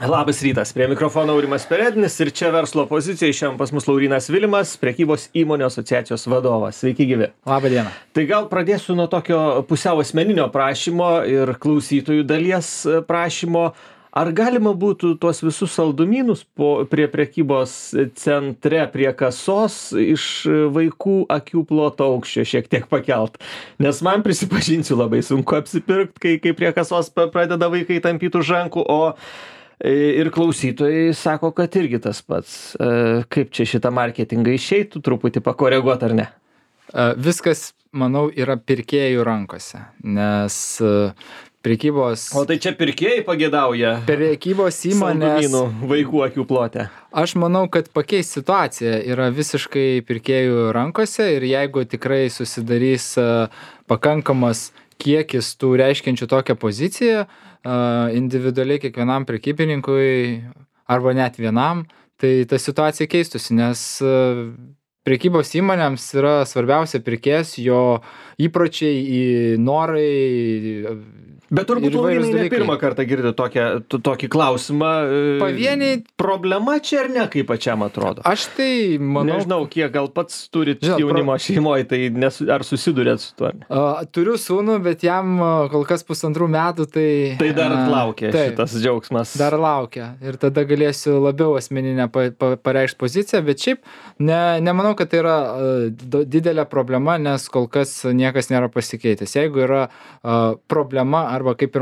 Labas rytas, prie mikrofono Aurimas Perednis ir čia verslo pozicija. Šiandien pas mus Laurynas Vilimas, prekybos įmonių asociacijos vadovas. Sveiki gyvi. Labą dieną. Tai gal pradėsiu nuo tokio pusiau asmeninio prašymo ir klausytojų dalies prašymo. Ar galima būtų tuos visus saldumynus prie prekybos centre, prie kasos iš vaikų akių ploto aukščio šiek tiek pakelt? Nes man, prisipažinsiu, labai sunku apsipirkti, kai prie kasos pradeda vaikai tampyti už rankų, o ir klausytojai sako, kad irgi tas pats. Kaip čia šitą marketingą išeitų truputį pakoreguoti ar ne? Viskas, manau, yra pirkėjų rankose, nes prekybos... O tai čia pirkėjai pagėdauja prekybos įmonės saldumynų vaikų akių plote? Aš manau, kad pakeis situacija yra visiškai pirkėjų rankose ir jeigu tikrai susidarys pakankamas kiekis tų reiškiančių tokią poziciją, individualiai kiekvienam prekybininkui arba net vienam, tai ta situacija keistusi, nes prekybos įmonėms yra svarbiausia pirkėjas, jo įpročiai, norai. Bet turbūt Laurynai ne pirmą kartą girdi tokį klausimą. Pavieniai. Problema čia ar ne, kaip pačiam atrodo? Aš tai manau... Nežinau, kiek gal pats turit jaunimo šeimoje, tai ar susidurėt su tuo? Turiu sūnų, bet jam kol kas 1,5 metų, tai... Tai dar laukia šitas džiaugsmas. Dar laukia. Ir tada galėsiu labiau asmeninę pareikšti poziciją, bet šiaip nemanau, kad tai yra didelė problema, nes kol kas niekas nėra pasikeitęs. Jeigu yra problema, arba kaip ir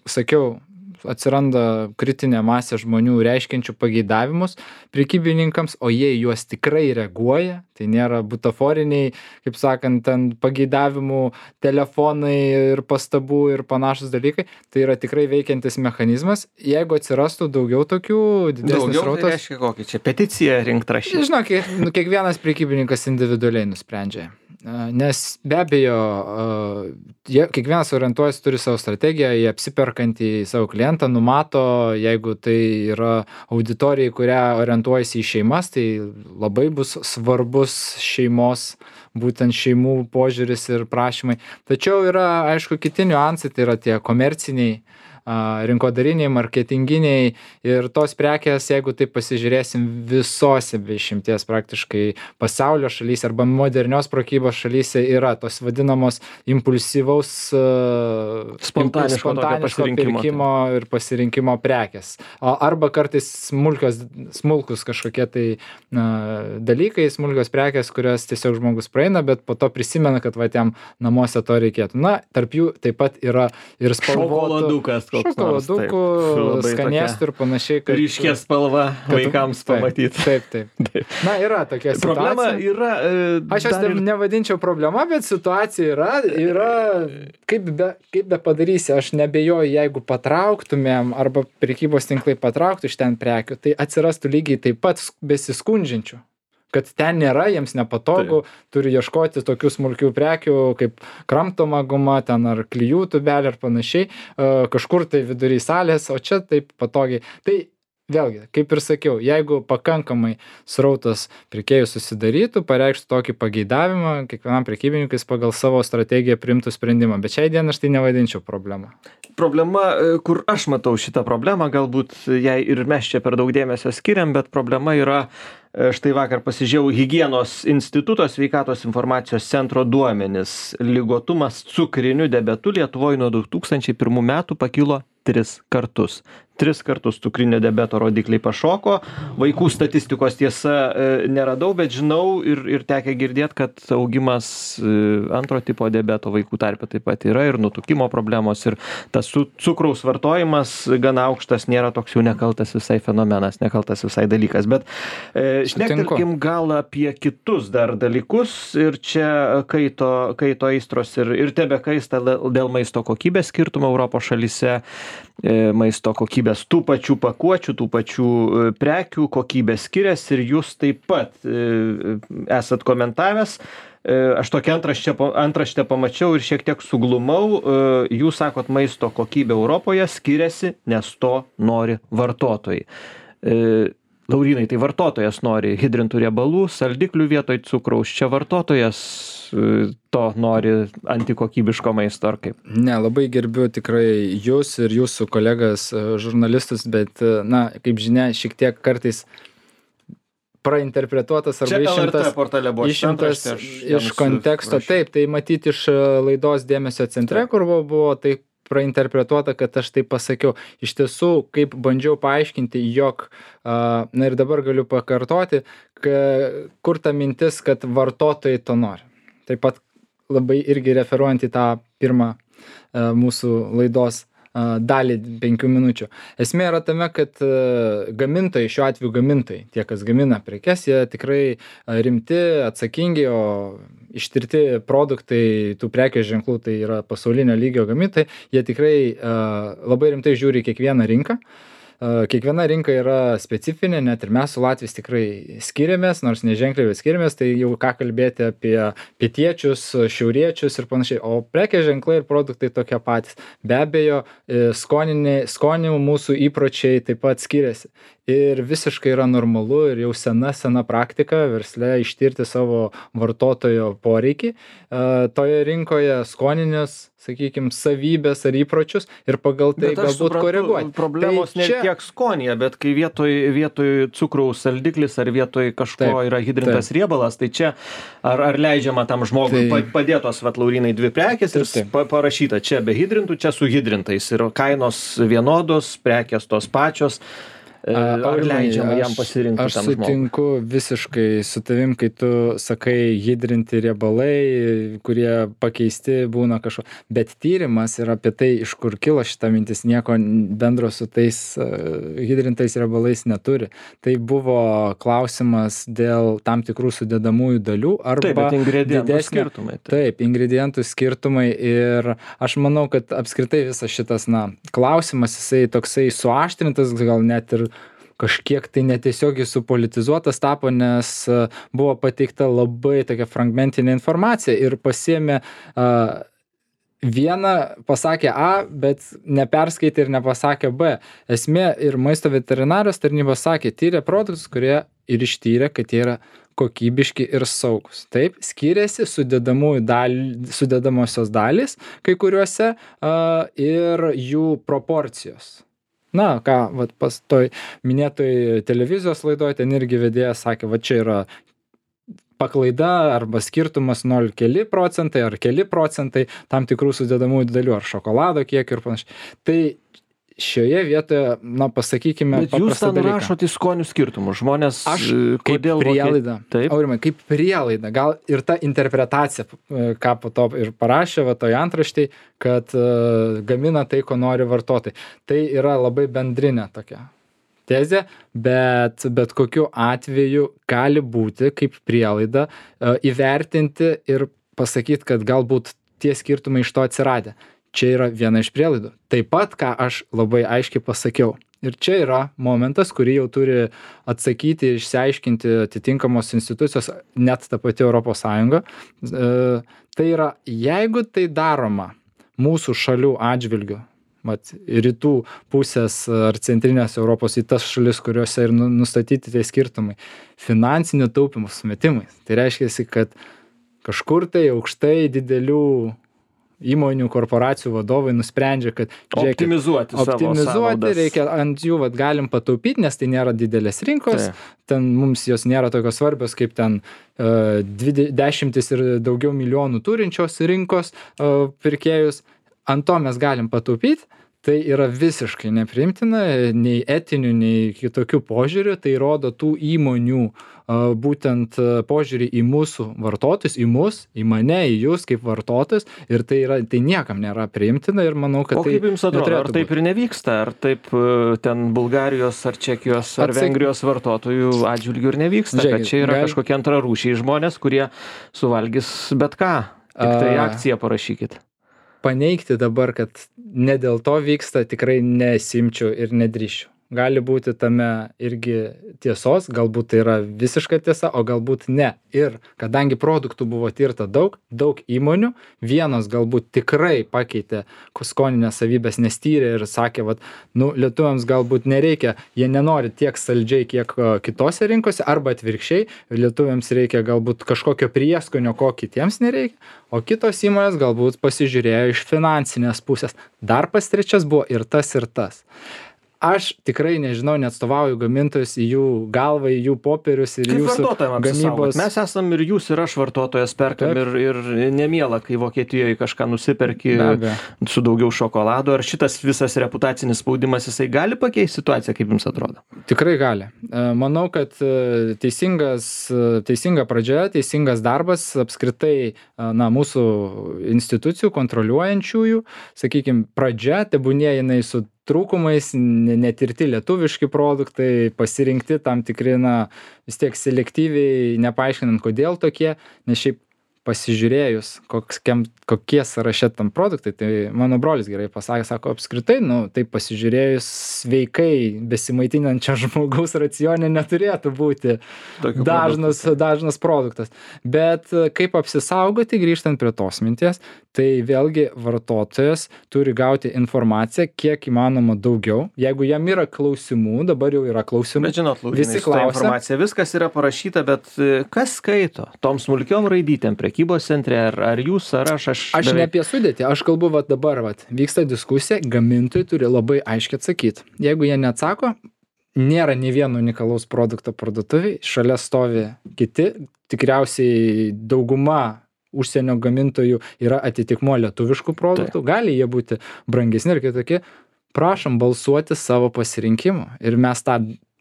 sakiau, atsiranda kritinė masė žmonių reiškiančių pageidavimus prekybininkams, o jie juos tikrai reaguoja, tai nėra butaforiniai, kaip sakant, ten pageidavimų, telefonai ir pastabų ir panašus dalykai, tai yra tikrai veikiantis mechanizmas. Jeigu atsirastų daugiau tokių, didesnis srautas... Daugiau tai reiškia kokį čia peticiją rinkt rašyti? Žinok, kiekvienas prekybininkas individualiai nusprendžia. Nes be abejo, kiekvienas orientuojas turi savo strategiją, jie apsiperkantį savo klientą, numato, jeigu tai yra auditorijai, kurią orientuojasi į šeimas, tai labai bus svarbus šeimos, būtent šeimų požiūris ir prašymai. Tačiau yra, aišku, kiti niuansai, tai yra tie komerciniai, rinkodariniai, marketinginiai ir tos prekės, jeigu taip pasižiūrėsim visose be išimties praktiškai pasaulio šalyse arba modernios prekybos šalyse yra tos vadinamos impulsyvaus spontaniško pirkimo ir pasirinkimo prekės. Arba kartais smulkus kažkokie tai dalykai, smulkios prekės, kurias tiesiog žmogus praeina, bet po to prisimena, kad jam namuose to reikėtų. Na, tarp jų taip pat yra ir šokoladukų, skanėstų ir panašiai. Ryškė spalva vaikams pamatyti. Taip. Na, yra tokia situacija. Problema yra... Aš jos nevadinčiau problema, bet situacija yra kaip be padarysi. Aš nebejoju, jeigu patrauktumėm arba prekybos tinklai patrauktų iš ten prekių, tai atsirastų lygiai taip pat besiskundžiančių. Kad ten nėra, jiems nepatogu, turi ieškoti tokių smulkių prekių, kaip kramtoma guma, ten ar klijų tubelė ar panašiai, kažkur tai vidury salės, o čia taip patogiai. Tai vėlgi, kaip ir sakiau, jeigu pakankamai srautas pirkėjų susidarytų, pareikštų tokį pageidavimą, kiekvienam prekybininkais pagal savo strategiją priimtų sprendimą, bet šiai dienai aš tai nevadinčiau problemą. Problema, kur aš matau šitą problemą, galbūt jai ir mes čia per daug dėmesio skiriam, bet problema yra, štai vakar pasižiūrėjau Higienos instituto sveikatos informacijos centro duomenis. Ligotumas cukriniu diabetu Lietuvoje nuo 2001 metų pakilo 3 kartus. 3 kartus cukrinio diabeto rodikliai pašoko. Vaikų statistikos tiesa neradau, bet žinau ir tekę girdėti, kad augimas antro tipo diabeto vaikų tarpe taip pat yra ir nutukimo problemos ir tas cukraus vartojimas gana aukštas, nėra toks jau nekaltas visai fenomenas, nekaltas visai dalykas. Bet šnektelkim gal apie kitus dar dalykus ir čia kaito aistros ir tebekaista dėl maisto kokybės skirtumų Europos šalyse, maisto kokybės tų pačių pakuočių, tų pačių prekių kokybės skiriasi ir jūs taip pat esat komentavęs. Aš tokią antraštę pamačiau ir šiek tiek suglumau. Jūs sakot, maisto kokybė Europoje skiriasi, nes to nori vartotojai. Laurynai, tai vartotojas nori hidrintų riebalų, saldiklių vietoj cukraus. Čia vartotojas to nori antikokybiško maisto ar kaip? Ne, labai gerbiu tikrai jūs ir jūsų kolegas žurnalistus, bet, na, kaip žinia, šiek tiek kartais prainterpretuotas arba išimtas iš konteksto. Taip, tai matyti iš laidos Dėmesio centre, kur buvo tai prainterpretuota, kad aš taip pasakiau. Iš tiesų, kaip bandžiau paaiškinti, jog, na ir dabar galiu pakartoti, kur ta mintis, kad vartotojai to nori. Taip pat labai irgi referuojant į tą pirmą mūsų laidos dalį 5 minučių. Esmė yra tame, kad gamintojai, šiuo atveju gamintojai, tie, kas gamina prekes, jie tikrai rimti, atsakingi, o ištirti produktai, tų prekės ženklų, tai yra pasaulinio lygio gamintojai, jie tikrai labai rimtai žiūri kiekvieną rinką. Kiekviena rinka yra specifinė, net ir mes su Latviais tikrai skiriamės, nors neženkliai, bet skiriamės, tai jau ką kalbėti apie pietiečius, šiauriečius ir panašiai. O prekės ženklai ir produktai tokie patys. Be abejo, skonių mūsų įpročiai taip pat skiriasi. Ir visiškai yra normalu ir jau sena praktika versle ištirti savo vartotojo poreikį toje rinkoje, skoninius, sakykime, savybės ar įpročius ir pagal tai galbūt koreguoti. Problemos tai ne tiek skonyje, bet kai vietoj cukraus saldiklis ar vietoj kažko yra hidrintas riebalas, tai čia ar leidžiama tam žmogui padėtos, Laurynai, 2 prekės ir parašyta čia be hidrintų, čia su hidrintais ir kainos vienodos, prekės tos pačios. Ar leidžiama jam pasirinkti tam žmogui? Aš sutinku visiškai su tavim, kai tu sakai hidrinti riebalai, kurie pakeisti būna kažko. Bet tyrimas yra apie tai, iš kur kilo šita mintis, nieko bendro su tais hidrintais riebalais neturi. Tai buvo klausimas dėl tam tikrų sudedamųjų dalių arba ingredientų skirtumai. Taip, ingredientų skirtumai ir aš manau, kad apskritai visas šitas, klausimas, jisai toksai suaštrintas, gal net ir kažkiek tai netiesiogiai supolitizuotas tapo, nes buvo pateikta labai tokia fragmentinė informacija ir pasiėmė vieną, pasakė A, bet neperskaitė ir nepasakė B. Esmė ir maisto veterinarijos tarnybos sakė, tyrė produktus, kurie ir ištyrė, kad jie yra kokybiški ir saugus. Taip, skiriasi sudedamosios dalys kai kuriuose ir jų proporcijos. Na, ką, pas toj minėtoj televizijos laidoj ten irgi vedėjas sakė, čia yra paklaida arba skirtumas 0 keli procentai ar keli procentai tam tikrų sudedamųjų dalių ar šokolado kiek ir panašiai. Tai šioje vietoje, pasakykime, bet jūs ten rašot į skonių skirtumus. Žmonės, kodėl prielaida. Aurimai, kaip prielaida. Gal ir ta interpretacija, ką po to ir parašė, toj antraštėj, kad gamina tai, ko nori vartotojai. Tai yra labai bendrinė tokia tezė, bet kokiu atveju gali būti kaip prielaida įvertinti ir pasakyti, kad galbūt tie skirtumai iš to atsiradę. Čia yra viena iš prielaidų. Taip pat, ką aš labai aiškiai pasakiau. Ir čia yra momentas, kurį jau turi atsakyti, išsiaiškinti atitinkamos institucijos, net ta pati Europos Sąjunga. Tai yra, jeigu tai daroma mūsų šalių atžvilgiu, rytų pusės ar centrinės Europos į tas šalis, kuriuose ir nustatyti tie skirtumai, finansinių taupymų sumetimais. Tai reiškia, kad kažkur tai aukštai didelių įmonių, korporacijų vadovai nusprendžia, kad optimizuoti reikia ant jų, galim pataupyti, nes tai nėra didelės rinkos, ten mums jos nėra tokios svarbios, kaip ten 10 ir daugiau milijonų turinčios rinkos pirkėjus, ant to mes galim pataupyti. Tai yra visiškai nepriimtina, nei etinių, nei kitokių požiūrių, tai rodo tų įmonių būtent požiūrį į mūsų vartotojus, į mus, į mane, į jūs kaip vartotojus, ir tai niekam nėra priimtina ir manau, kad tai kaip jums atrodo, ar taip ir nevyksta, ar taip ten Bulgarijos, ar Čekijos, ar Vengrijos vartotojų atžvilgių ir nevyksta, kad čia yra kažkokie antrarūšiai žmonės, kurie suvalgys bet ką, tik tai akciją parašykit. Paneigti dabar, kad ne dėl to vyksta, tikrai nesimčiau ir nedrįšiu. gali būti tame irgi tiesos, galbūt tai yra visiška tiesa, o galbūt ne. Ir kadangi produktų buvo tirta daug įmonių, vienos galbūt tikrai pakeitė skoninės savybės, nes tyrė ir sakė, vat, lietuviams galbūt nereikia, jie nenori tiek saldžiai, kiek kitose rinkose, arba atvirkščiai, lietuviams reikia galbūt kažkokio prieskonio, ko kitiems nereikia, o kitos įmonės galbūt pasižiūrėjo iš finansinės pusės. Dar pas trečias buvo ir tas, ir tas. Aš tikrai nežinau, neatstovauju gamintojus į jų galvą, į jų popierius ir jūsų gamybos. Mes esam ir jūs, ir aš vartotojas perkam ir nemiela, kai Vokietijoje kažką nusiperki su daugiau šokolado. Ar šitas visas reputacinis spaudimas, jisai gali pakeisti situaciją, kaip jums atrodo? Tikrai gali. Manau, kad teisinga pradžia, teisingas darbas apskritai mūsų institucijų kontroliuojančiųjų, sakykime, pradžia, tebūnie jinai su trūkumais, netirti lietuviški produktai, pasirinkti tam tikri, vis tiek selektyviai, nepaaiškinant, kodėl tokie, nes šiaip pasižiūrėjus, kokie sąraše tam produktai, tai mano brolis gerai pasakė, sako, apskritai, tai pasižiūrėjus sveikai besimaitinančio žmogaus racione neturėtų būti dažnas produktas. Bet kaip apsisaugoti, grįžtant prie tos minties, tai vėlgi vartotojas turi gauti informaciją kiek įmanoma daugiau. Jeigu jam yra klausimų, dabar jau yra klausimų. Bet žinot, Laurynai, šitą informaciją, viskas yra parašyta, bet kas skaito? Tom smulkiom raidytėm prekybos centre, ar jūs, ar aš? Aš ne apie sudėtį, aš kalbu dabar, vyksta diskusija, gamintojai turi labai aiškiai atsakyti. Jeigu jie neatsako, nėra nei vieno unikalaus produkto parduotuviai, šalia stovi kiti, tikriausiai dauguma užsienio gamintojų yra atitikmuo lietuviškų produktų, gali jie būti brangesni ir kitokie, prašom balsuoti savo pasirinkimu. Ir mes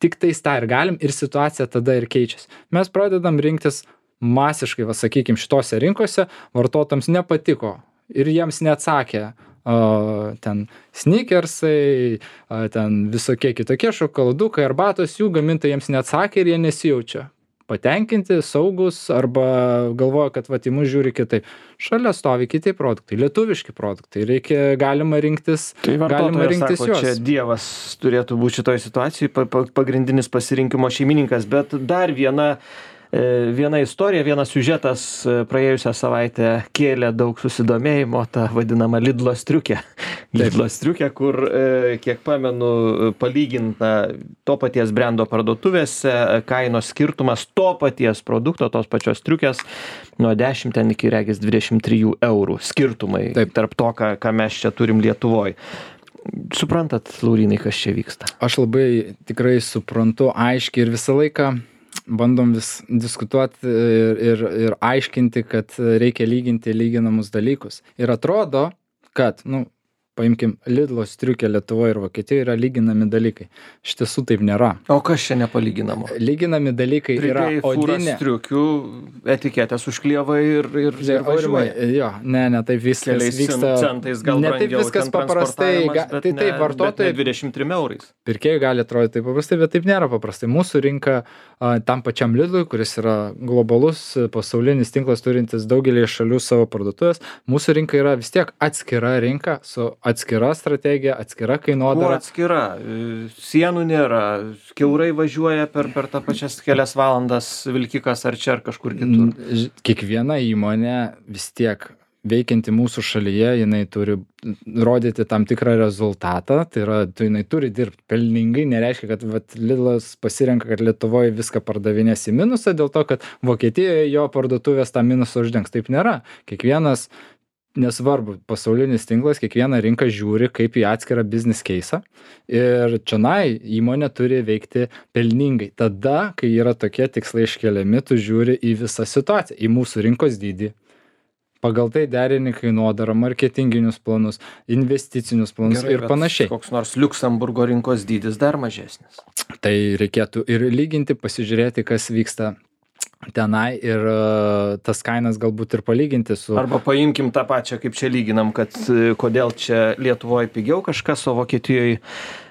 tik tais tą ir galim, ir situacija tada ir keičiasi. Mes pradedam rinktis masiškai, sakykime, šitose rinkose, vartotojams nepatiko ir jiems neatsakė ten sneakersai, ten visokie kitokie šokoladukai, arbatos, jų gamintojams neatsakė ir jie nesijaučia patenkinti, saugus, arba galvoja, kad į mus žiūri kitaip. Šalia stovi kiti produktai, lietuviški produktai, galima rinktis, sako, juos. Čia Dievas turėtų būti šitoj situacijai pagrindinis pasirinkimo šeimininkas, bet dar viena istorija, vienas siužetas praėjusią savaitę kėlė daug susidomėjimo, ta vadinama Lidlo striukė. Lidlo striukė, kur, kiek pamenu, palyginta to paties brendo parduotuvėse, kainos skirtumas to paties produkto, tos pačios striukės, nuo 10 ten iki regis 23 eurų skirtumai. Taip. Tarp to, ką mes čia turim Lietuvoj. Suprantat, Laurynai, kas čia vyksta? Aš labai tikrai suprantu aiškiai ir visą laiką bandom vis diskutuoti ir aiškinti, kad reikia lyginti lyginamus dalykus. Ir atrodo, kad, paimkim, Lidlo striukė Lietuvoje ir Vokietijoje yra lyginami dalykai. Iš tiesų taip nėra. O kas čia nepalyginamo? Lyginami dalykai yra odinė. Striukių etiketės užklievai ir važiuoja. Jo, ne, taip viskas vyksta. Centais gal ne taip viskas paprastai. Tai taip vartotojai. 23 eurais. Pirkėjai gali atrodyti taip paprastai, bet taip nėra paprastai. Mūsų rinka tam pačiam Lidlui, kuris yra globalus pasaulinis tinklas turintis daugelį šalių savo parduotuvės, mūsų rinka yra vis tiek atskira rinka su atskira strategija, atskira kainodara. Atskira. Sienų nėra. Kiaurai važiuoja per tą pačias kelias valandas vilkikas ar čia ar kažkur kitur. Kiekviena įmonė vis tiek veikianti mūsų šalyje, jinai turi rodyti tam tikrą rezultatą, tai yra, jinai turi dirbti pelningai, nereiškia, kad Lidlas pasirenka, kad Lietuvoje viską pardavinės į minusą, dėl to, kad Vokietijoje jo parduotuvės tą minusą uždengs. Taip nėra. Kiekvienas, nesvarbu, pasaulinis tinklas, kiekviena rinka žiūri kaip į atskirą business case'ą ir čionai įmonė turi veikti pelningai. Tada, kai yra tokie tikslai iškeliami, tu žiūri į visą situaciją, į mūsų rinkos dydį. Pagal tai derini kainodarą, marketinginius planus, investicinius planus. Gerai, ir panašiai. Koks nors Liuksemburgo rinkos dydis dar mažesnis. Tai reikėtų ir lyginti, pasižiūrėti, kas vyksta tenai ir tas kainas galbūt ir palyginti su... Arba paimkim tą pačią, kaip čia lyginam, kad kodėl čia Lietuvoje pigiau kažkas, o Vokietijoje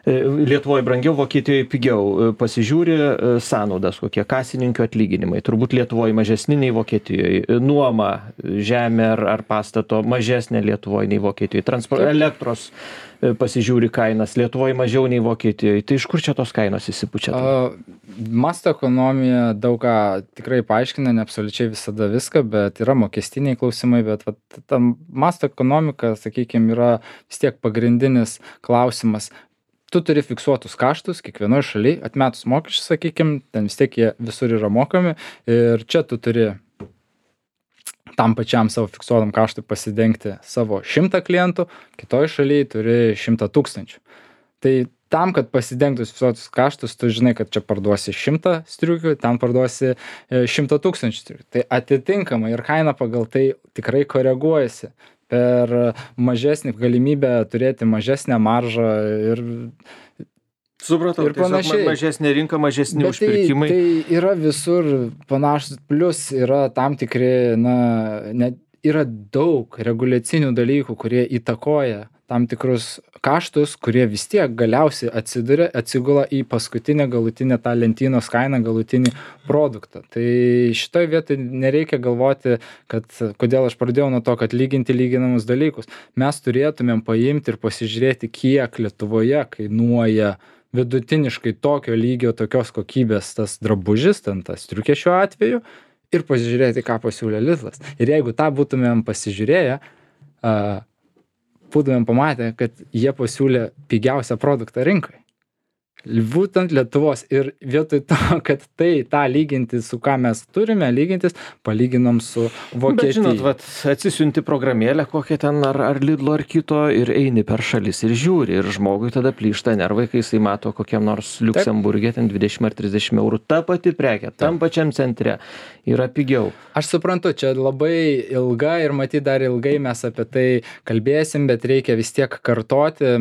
Lietuvoje brangiau, Vokietijoje pigiau. Pasižiūri sąnaudas, kokie kasininkio atlyginimai. Turbūt Lietuvoje mažesni nei Vokietijoje. Nuoma, žemė ar pastato mažesnė Lietuvoje nei Vokietijoje. Elektros pasižiūri kainas. Lietuvoje mažiau nei Vokietijoje. Tai iš kur čia tos kainos įsipučia? Masto ekonomija daug ką tikrai paaiškina, ne absoliučiai visada viską, bet yra mokestiniai klausimai, bet ta masto ekonomika, sakykime, yra vis tiek pagrindinis klausimas. Tu turi fiksuotus kaštus kiekvienoje šalyje, atmetus mokesčius, sakykime, ten vis tiek jie visur yra mokami ir čia tu turi tam pačiam savo fiksuotam kaštui pasidengti savo 100 klientų, kitoje šalyje turi 100 000. Tai tam, kad pasidengtus fiksuotus kaštus, tu žinai, kad čia parduosi 100 striukių, ten parduosi 100 000 striukių. Tai atitinkamai ir kaina pagal tai tikrai koreguojasi per mažesnį galimybę turėti mažesnę maržą ir supratau, ir panašiai. Mažesnė rinka, mažesni užpirkimai. Tai yra visur panašus, plus yra tam tikri, yra daug reguliacinių dalykų, kurie įtakoja tam tikrus kaštus, kurie vis tiek galiausiai atsigula į paskutinę galutinę tą lentynos kainą, galutinį produktą. Tai šitoje vietoje nereikia galvoti, kad kodėl aš pradėjau nuo to, kad lyginti lyginamus dalykus. Mes turėtumėm paimti ir pasižiūrėti, kiek Lietuvoje kainuoja vidutiniškai tokio lygio, tokios kokybės tas drabužis, ten tas striukė šiuo atveju, ir pasižiūrėti, ką pasiūlė Lidlas. Ir jeigu tą būtumėm pasižiūrėję, būtumėm pamatę, kad jie pasiūlė pigiausią produktą rinkai. Būtent Lietuvos. Ir vietoj to, kad tą lyginti su ką mes turime lygintis, palyginom su Vokietija. Bet žinot, atsisiunti programėlę kokią ten ar Lidlo ar kito ir eini per šalis ir žiūri. Ir žmogui tada plyšta nervai, kai jisai mato kokiam nors Liuksemburgė ten 20 ar 30 eurų. Ta pati prekė, tam pačiam centre yra pigiau. Aš suprantu, čia labai ilga ir matyt dar ilgai mes apie tai kalbėsim, bet reikia vis tiek kartoti.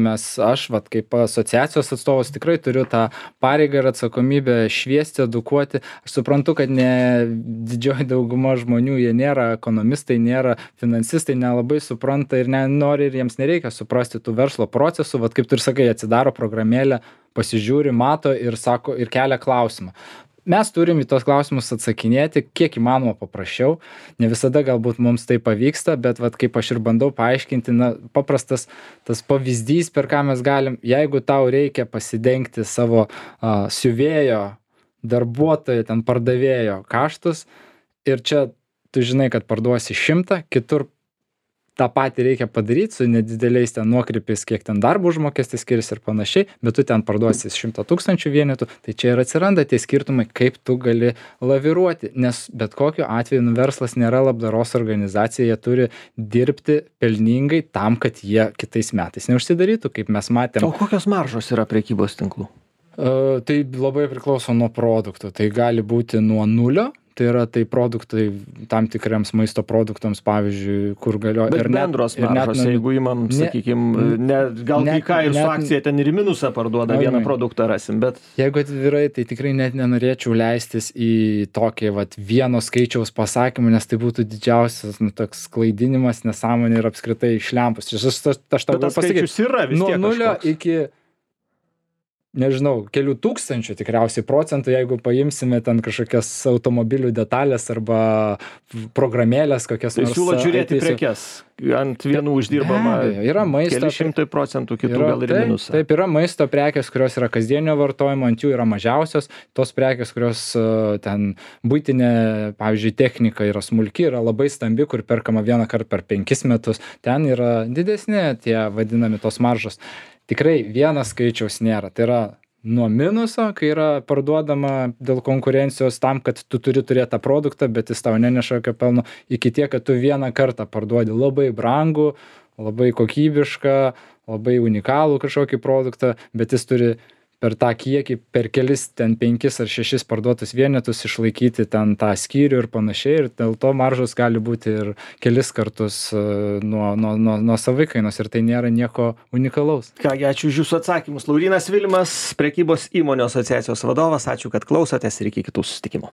Aš kaip asociacijos atstovas tikrai turiu tą pareigą ir atsakomybę šviesti, edukuoti. Aš suprantu, kad ne didžioji dauguma žmonių, jie nėra ekonomistai, nėra finansistai, nelabai supranta ir nenori ir jiems nereikia suprasti tų verslo procesų. Kaip tu ir sakai, atsidaro programėlę, pasižiūri, mato ir sako ir kelia klausimą. Mes turim į tos klausimus atsakinėti kiek įmanoma paprasčiau. Ne visada galbūt mums tai pavyksta, bet kaip aš ir bandau paaiškinti, paprastas tas pavyzdys, per ką mes galim, jeigu tau reikia pasidengti savo siuvėjo, darbuotojo, ten pardavėjo kaštus ir čia tu žinai, kad parduosi 100, kitur tą patį reikia padaryti su nedideliais ten nuokrypiais, kiek ten darbo užmokestis skiriasi ir panašiai, bet tu ten parduosi 100 000 vienetų, tai čia ir atsiranda tie skirtumai, kaip tu gali laviruoti, nes bet kokiu atveju verslas nėra labdaros organizacija, jie turi dirbti pelningai tam, kad jie kitais metais neužsidarytų, kaip mes matėm. O kokios maržos yra prekybos tinklų? Tai labai priklauso nuo produktų, tai gali būti nuo 0. Tai yra produktai tam tikriams maisto produktams, pavyzdžiui, kur galioja. Bet bendros maržos, jeigu imam, sakykime, gal kai ką ir su akcija ten ir į minusą parduoda, vieną produktą rasim, bet... Jeigu atvirai, tai tikrai net nenorėčiau leistis į tokį vieno skaičiaus pasakymą, nes tai būtų didžiausias toks klaidinimas, nesąmonė ir apskritai išlempus. Aš tau galiu pasakyti, nuo 0 iki... nežinau, kelių tūkstančių tikriausiai procentų, jeigu paimsime ten kažkokias automobilių detalės arba programėlės kokias nors. Siūlo žiūrėti prekes, ant vienų uždirbama yra maisto, keli šimtai procentų, kitų gal ir minusą. Taip, yra maisto prekės, kurios yra kasdienio vartojimo, ant jų yra mažiausios, tos prekės, kurios ten būtinė, pavyzdžiui, technika yra smulki, yra labai stambi, kur perkama vieną kartą per 5 metus, ten yra didesni tie vadinami tos maržos. Tikrai vienas skaičiaus nėra. Tai yra nuo minuso, kai yra parduodama dėl konkurencijos tam, kad tu turi turėti tą produktą, bet jis tau neneša jokio pelno, iki tiek, kad tu vieną kartą parduodi labai brangų, labai kokybišką, labai unikalų kažkokį produktą, bet jis turi per tą kiekį, per kelis ten 5 ar 6 parduotus vienetus išlaikyti ten tą skyrių ir panašiai, ir dėl to maržos gali būti ir kelis kartus nuo savikainos ir tai nėra nieko unikalaus. Kągi, ačiū už jūsų atsakymus. Laurynas Vilimas, prekybos įmonių asociacijos vadovas, ačiū, kad klausotės ir iki kitų susitikimų.